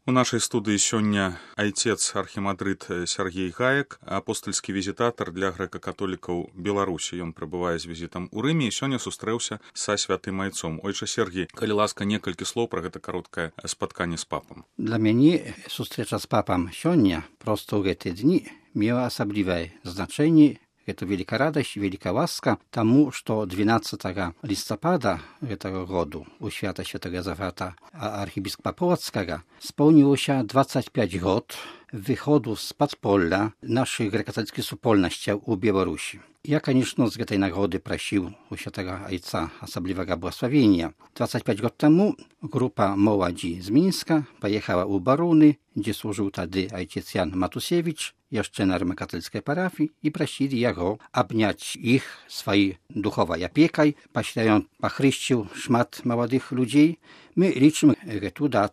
У нашай студыі сёння айцец архімандрыт Сергей Гаек, апостальскі візітатар для грэка-католікаў Беларусі. Ён прыбывае з візітам у Рыме і сёння сустрэўся са святым айцом. Ойча Сергій, калі ласка, некалькі слоў пра гэта кароткае спатканне з папам. Dla mnie сустрэча з папам сёння prosto ў гэты дні мела асаблівае значэнне. Это великая радость, великая ласка тому, что 12 листопада этого года у свята Świętego Józefa archibiskupa Połockiego spełniło się 25 lat wychodu z podpola naszych grekokatolickich supolności u Białorusi. Ja, конечно, z tej nagrody prosił u Świętego Ojca osobliwego błogosławienia. 25 lat temu grupa młodzi z Mińska pojechała u Baruny, gdzie służył wtedy ojciec Jan Matusiewicz, jeszcze na rzymskokatolickiej parafii, i prosili jego obniać ich swojej duchowej opiekой, pośle on pochryścił szmat młodych ludzi. My liczymy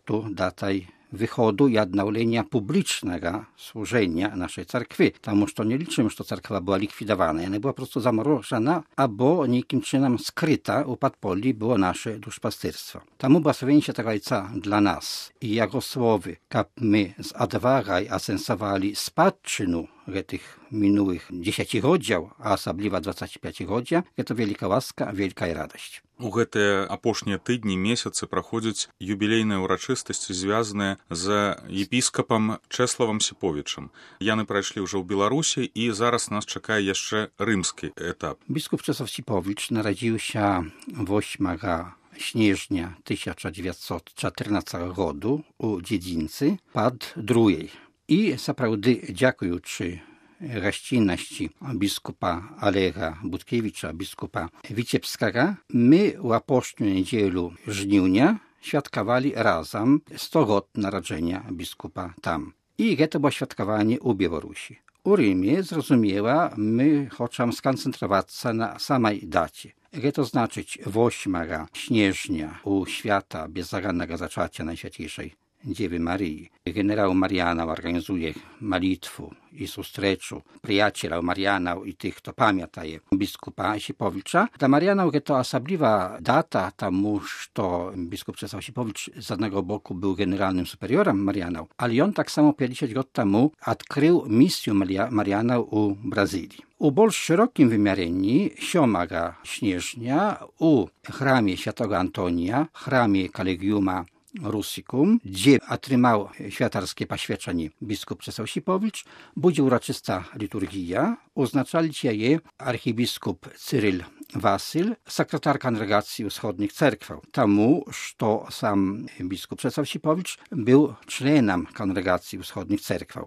tę datę wychodu i odnowienia publicznego służenia naszej cerkwi. Тому что nie liczymy, że cerkwa była likwidowana. Ona była po prostu zamrożona, albo niejakim czynem skryta u podpoli było nasze duszpasterstwo. Tomu błogosławienie Świętego Ojca dla nas i jego słowy, jak my z odwagą asensowali spadczynu tych minionych 10 godzin, a osobliwa 25 godzin, to wielka łaska, wielka radość. У гэтыя апошнія тыдні, месяцы праходзяць юбілейныя ўрачыстасці, звязаныя з епіскапам Чэславам Сіповічам. Яны прайшлі ўжо ў Беларусі, і зараз нас чакае яшчэ рымскі этап. Biskup Czesław Sipowicz narodził się 8 sierpnia 1914 roku u Dziedzинцы pod Drujej. I naprawdę dziękujący gościnności biskupa Aleja Budkiewicza, biskupa Wiciebskiego, my w apostolną niedzielę żniwnia świadkowali razem 100 lat narodzenia biskupa tam. I to było świadkowanie u Białorusi. U Rymie, zrozumiała, my chcemy skoncentrować się na samej dacie. To znaczyć 8 sierpnia u świata bezzagadnego zaczęcia Najświętejszej Dziewy Maryi. Generał Mariana organizuje malitwu i sustreczu przyjaciela Marianów i tych, kto pamiętaje biskupa Sipowicza. Dla Marianów to osobliwa data, тому że biskup Czesław Sipowicz z jednego boku był generalnym superiorem Marianów, ale on tak samo 50 lat temu odkrył misję Marianów u Brazylii. U bardziej szerokim wymiarze 7 sierpnia u chramie Świętego Antonia, chramie Collegiuma Russicum, gdzie otrzymał świętarskie poświadczenie biskup Czesław Sipowicz, będzie uroczysta liturgia. Oznaczali je archibiskup Cyryl Wasyl, sekretar Kongregacji Wschodnich Cerkwi. Тому, że sam biskup Czesław Sipowicz był członem Kongregacji Wschodnich Cerkwi.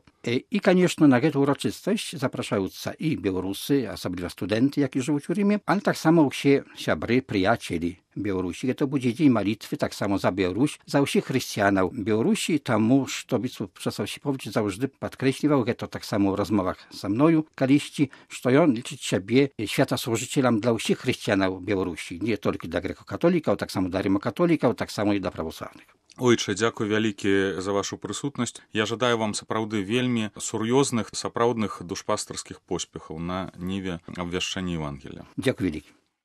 I, конечно, na tę uroczystość zapraszająca i Białorusy, osobliwie studenty, jak i żyją w Rzymie, ale tak samo się siabry, przyjacieli Białorusi. To będzie dzień malitwy, tak samo za Białoruś, za wszystkich chrześcijanów Białorusi, тому, że biskup Czesław Sipowicz zawsze podkreśliwał, to tak samo w rozmowach ze mną, kaliści, że on liczy siebie światosłużycielem dla wszystkich chrześcijanów Białorusi, nie tylko dla grekokatolików, tak samo dla rymokatolików, tak samo i dla prawosławnych. Ойча, дзякуй вялікі за вашу прысутнасць. Я жадаю вам сапраўды вельмі сур'ёзных, сапраўдных душпастарскіх поспехаў на ніве абвяшчэння Евангелія. Дзякуй вялікі.